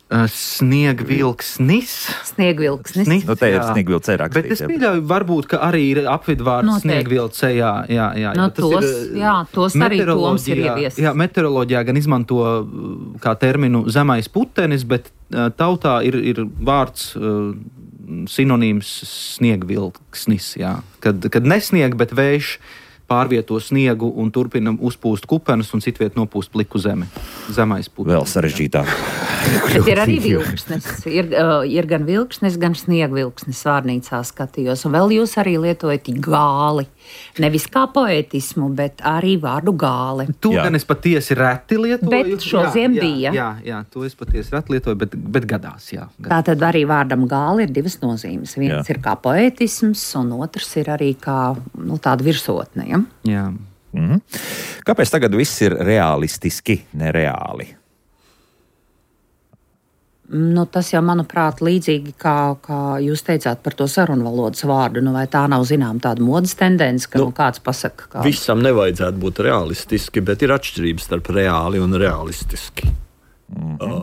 Sniegvilksnis. Te ir sniegvilce rakstīts. Bet es pieļauju, varbūt, ka arī ir apvidvārds sniegvilce. Tos arī Toms ir ieviesis. Jā, meteoroloģijā gan izmanto kā terminu zemais putenis, bet tautā ir vārds sinonīms sniegvilksnis. Kad nesnieg, bet vējš pārvieto sniegu un turpina uzpūst kupenes un citviet nopūst pliku zemi. Zemais putenis. Vēl sarežģītāk. Bet ir arī vilksnes. Ir gan vilksnes, gan sniegvilksnes vārnīcā skatījos. Un vēl jūs arī lietojat gāli. Nevis kā poētismu, bet arī vārdu gāli. To gan es patiesi reti lietoju. Bet šodien bija. Jā, to es patiesi reti lietoju, bet gadās, jā. Tātad arī vārdam gāli ir divas nozīmes. Viens ir kā poētisms, un otrs ir arī kā tāda virsotne. Ja? Jā. Mhm. Kāpēc tagad viss ir realistiski, nereāli? Tas jau, manuprāt, līdzīgi kā jūs teicāt par to sarunvalodas vārdu. Vai tā nav zinām tāda modes tendence, ka kāds pasaka? Visam nevajadzētu būt realistiski, bet ir atšķirības starp reāli un realistiski.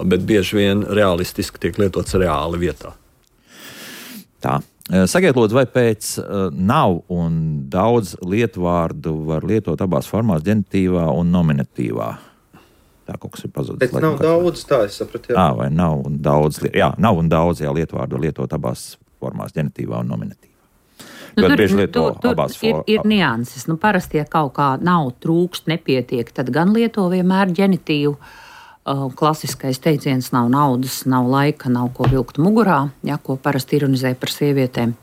Bet bieži vien realistiski tiek lietots reāli vietā. Tā. Sakiet, lūdzu, vai pēc nav un daudz lietvārdu var lietot abās formās, ģenitīvā un nominatīvā? Tā kaut kas ir pazudis. Bet nav daudz, tā es sapratu. Vai nav un daudz? Jā, nav un daudz, lietvārdu lietot abās formās, ģenitīvā un nominatīvā. Ļoti bieži lieto abās formās. Ir nianses. Parasti, ja kaut kā nav, trūkst, nepietiek, tad gan lieto vienmēr ģenitīvu. Klasiskais teiciens nav naudas, nav laika, nav ko vilkt mugurā, ko parasti ironizē par sievietēm.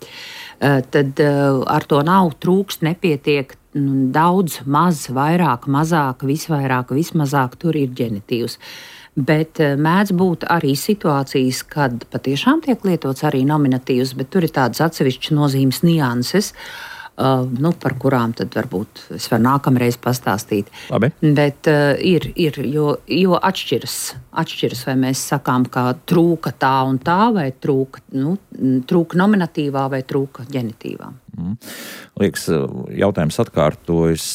Tad ar to nav, trūkst, nepietiek, daudz, maz, vairāk, mazāk, visvairāk, vismazāk, tur ir ģenitīvs. Bet mēdz būt arī situācijas, kad patiešām tiek lietots arī nominatīvs, bet tur ir tādas atsevišķas nozīmes nianses, par kurām tad varbūt es varu nākamreiz pastāstīt. Labi. Bet jo atšķiras, vai mēs sakām, ka trūka tā un tā, vai trūka nominatīvā, vai trūka ģenitīvā. Liekas, jautājums atkārtojas.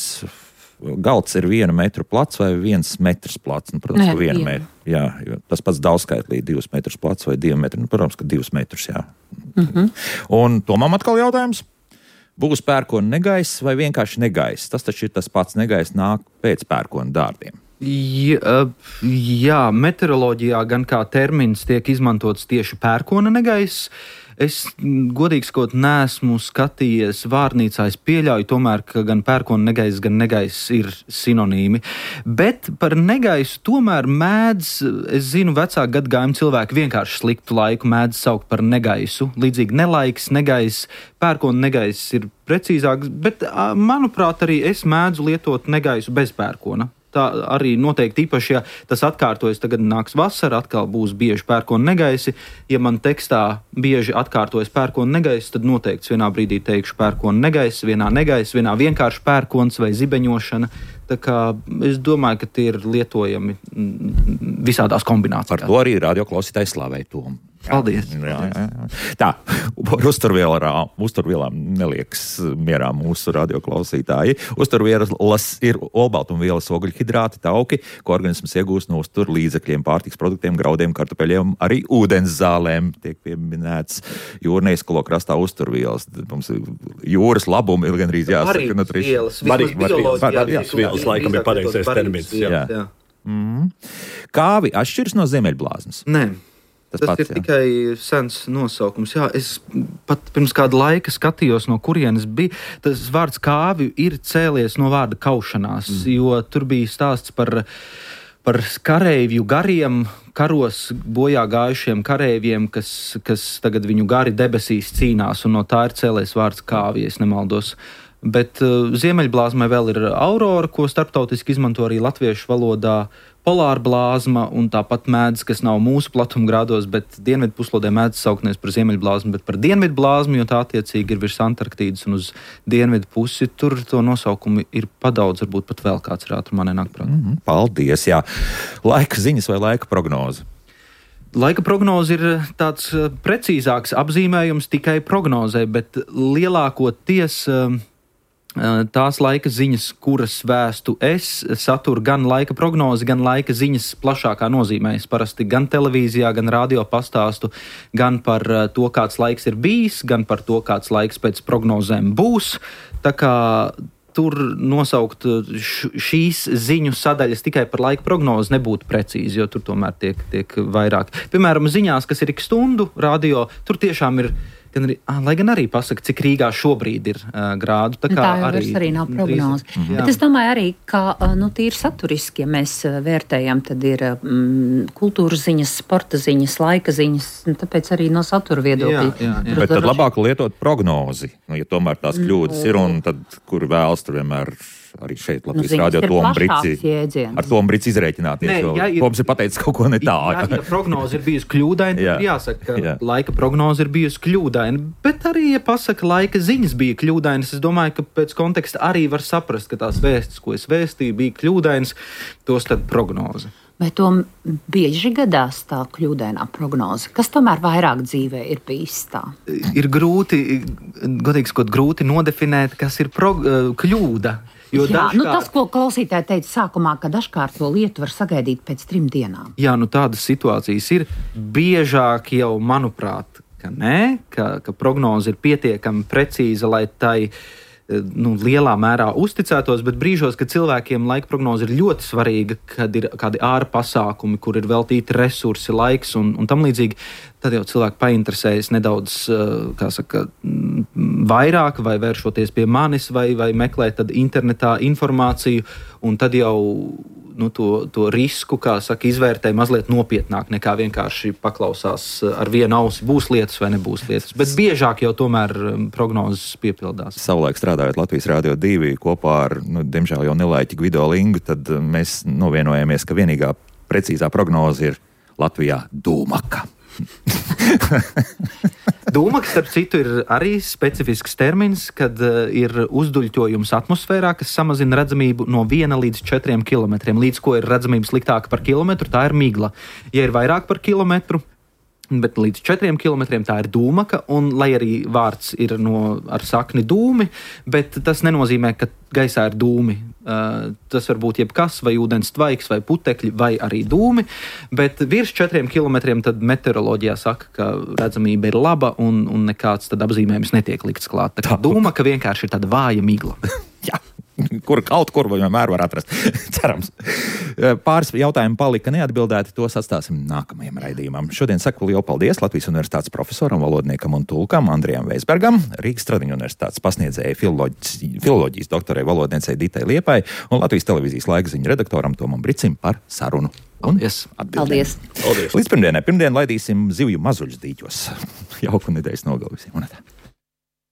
Galds ir 1 metru plats vai 1 metrs plats? Protams, ka 1 metru. Jā, tas pats daudzskaitlī 2 metrus plats vai 2 metri. Protams, ka 2 metrus, jā. Un Tomam atkal jautājums. Būs pērkona negaiss vai vienkārši negaiss? Tas taču ir tas pats negaiss nāk pēc pērkona dārdiem. Jā, meteoroloģijā gan kā termins tiek izmantots tieši pērkona negaiss. Es godīgi sakot neesmu skatījies vārnīcā. Es pieļauju tomēr, ka gan pērkona negaiss, gan negaiss ir sinonīmi. Bet par negaisu tomēr mēdz, es zinu, vecāku gadagājumu cilvēki vienkārši sliktu laiku mēdz saukt par negaisu. Līdzīgi nelaiks, negaiss, pērkona negaiss ir precīzāks, bet manuprāt arī es mēdzu lietot negaisu bez pērkona. Tā arī noteikti īpaši, ja tas atkārtojas, tagad nāks vasara, atkal būs bieži pērkona negaisi. Ja man tekstā bieži atkārtojas pērkona negaisi, tad noteikti vienā brīdī teikšu pērkona negaisi, vienā negaisi, vienā vienkārši pērkons vai zibeņošana. Tā kā es domāju, ka tie ir lietojami visādās kombinācijās. Par to arī radioklausītājs slavēja Tomu. Paldies. Jā. Tā, par uzturvielām neliekas mierā mūsu radioklausītāji. Uzturvielas ir olbaltumvielas, ogļhidrāti, tauki, ko organisms iegūst no uztur līdzekļiem, pārtiks produktiem, graudiem, kartupeļiem, arī ūdens zālēm. Tiek pieminēts jūrnieskalo krastā uzturvielas. Mums jūras labumi ir gandrīz jāsaka. Barības vielas laikam ir pareizais termins. Jā. Kāvi atšķiras no ziemeļblāzmas? Nē. Tas ir tikai sens nosaukums. Jā, es pat pirms kāda laika skatījos, no kurienes bija. Tas vārds kāvi ir cēlies no vārda kaušanās, jo tur bija stāsts par kareivju gariem, karos bojā gājušiem kareiviem, kas tagad viņu gari debesīs cīnās, un no tā ir cēlies vārds kāvi, ja es nemaldos. Bet ziemeļblāzmai vēl ir aurora, ko starptautiski izmanto arī latviešu valodā, polāra blāzma un tāpat mēdz, kas nav mūsu platumgrādos, bet dienvidu puslodē mēdz saukties par ziemeļblāzmu, bet par dienvidu blāzmu, jo tā attiecīgi ir virs Antarktīdas un uz dienvidu pusi. Tur to nosaukumu ir padaudz, varbūt pat vēl kāds ir ātrumā nenāk prātā. Paldies, jā. Laika ziņas vai laika prognoze? Laika prognoze ir tāds precīzāks apzīmējums tikai prognozē, bet lielākoties tās laika ziņas, kuras vēstu es, satur gan laika prognozi, gan laika ziņas plašākā nozīmē. Es parasti gan televīzijā, gan radio pastāstu gan par to, kāds laiks ir bijis, gan par to, kāds laiks pēc prognozēm būs. Tā kā tur nosaukt šīs ziņu sadaļas tikai par laika prognozi nebūtu precīzi, jo tur tomēr tiek vairāk. Piemēram, ziņās, kas ir ik stundu radio, tur tiešām ir lai gan arī pasaka, cik Rīgā šobrīd ir grādu. Tā jau arī nav prognoze. Bet es domāju arī, ka tīri saturiski, ja mēs vērtējam, tad ir kultūras ziņas, sporta ziņas, laika ziņas, tāpēc arī no satura viedokļa. Jā. Bet tad labāk lietot prognozi, ja tomēr tās kļūdas ir, un tad, kur vēlas tur vienmēr arī šeit Latvijas rādio ar Tomu Brici izrēķināties, jo Toms ir pateicis kaut ko ne tā. Ja prognoze ir bijusi kļūdaina, tad jāsaka, ka laika prognoze ir bijusi kļūdaina, bet arī, ja pasaka, laika ziņas bija kļūdainas, es domāju, ka pēc konteksta arī var saprast, ka tās vēstis, ko es vēstīju, bija kļūdainas, tos tad prognoze. Vai to bieži gadās tā kļūdainā prognoze? Kas tomēr vairāk dzīvē ir bijis tā? Ir grūti nodefinēt, kas ir kļūda. Tas, ko klausītāji teica sākumā, ka dažkārt to lietu var sagaidīt pēc 3 dienām. Jā, tādas situācijas ir biežāk jau, manuprāt, ka prognoze ir pietiekami precīza, lai tai lielā mērā uzticētos, bet brīžos, kad cilvēkiem laika prognoze ir ļoti svarīga, kad ir kādi ārpasākumi, kur ir veltīti resursi, laiks un tam līdzīgi, tad jau cilvēki painteresējas nedaudz, vairāk vai vēršoties pie manis vai meklēt tad internetā informāciju, un tad jau to risku, izvērtē mazliet nopietnāk nekā vienkārši paklausās ar vienu ausi, būs lietas vai nebūs lietas. Bet biežāk jau tomēr prognozes piepildās. Savulaik strādājot Latvijas Rādio 2 kopā ar, diemžēl jau nelaiķi Gvido Lingu, tad mēs novienojāmies, ka vienīgā precīzā prognoze ir Latvijā dūmaka. Dūmaka, starp citu, ir arī specifisks termins, kad ir uzduļķojums atmosfērā, kas samazina redzamību no 1 līdz 4 kilometriem. Līdz ko ir redzamība sliktāka par kilometru, tā ir migla. Ja ir vairāk par kilometru, bet līdz 4 kilometriem tā ir dūmaka, un lai arī vārds ir ar sakni dūmi, bet tas nenozīmē, ka gaisā ir dūmi. Tas var būt jebkas, vai ūdens tvaiks, vai putekļi, vai arī dūmi, bet virs 4 kilometriem tad meteoroloģijā saka, ka redzamība ir laba un nekāds tad apzīmējums netiek likts klāt. Tā kā dūmaka vienkārši ir tāda vāja migla. Jā. Kaut kur vienmēr var atrast. Cerams. Pāris jautājumi palika neatbildēti, tos atstāsim nākamajam raidījumam. Šodien saku lielu paldies Latvijas Universitātes profesoram, valodniekam un tulkam Andrijam Veisbergam, Rīgas Stradiņu Universitātes pasniedzēja filoloģijas doktorei valodniecei Ditai Liepai un Latvijas televīzijas laikziņu redaktoram Tomam Bricim par sarunu. Paldies. Līdz pirmdien laidīsim zivju mazuļus dīķos. Jauku nedēļas nogalu visiem.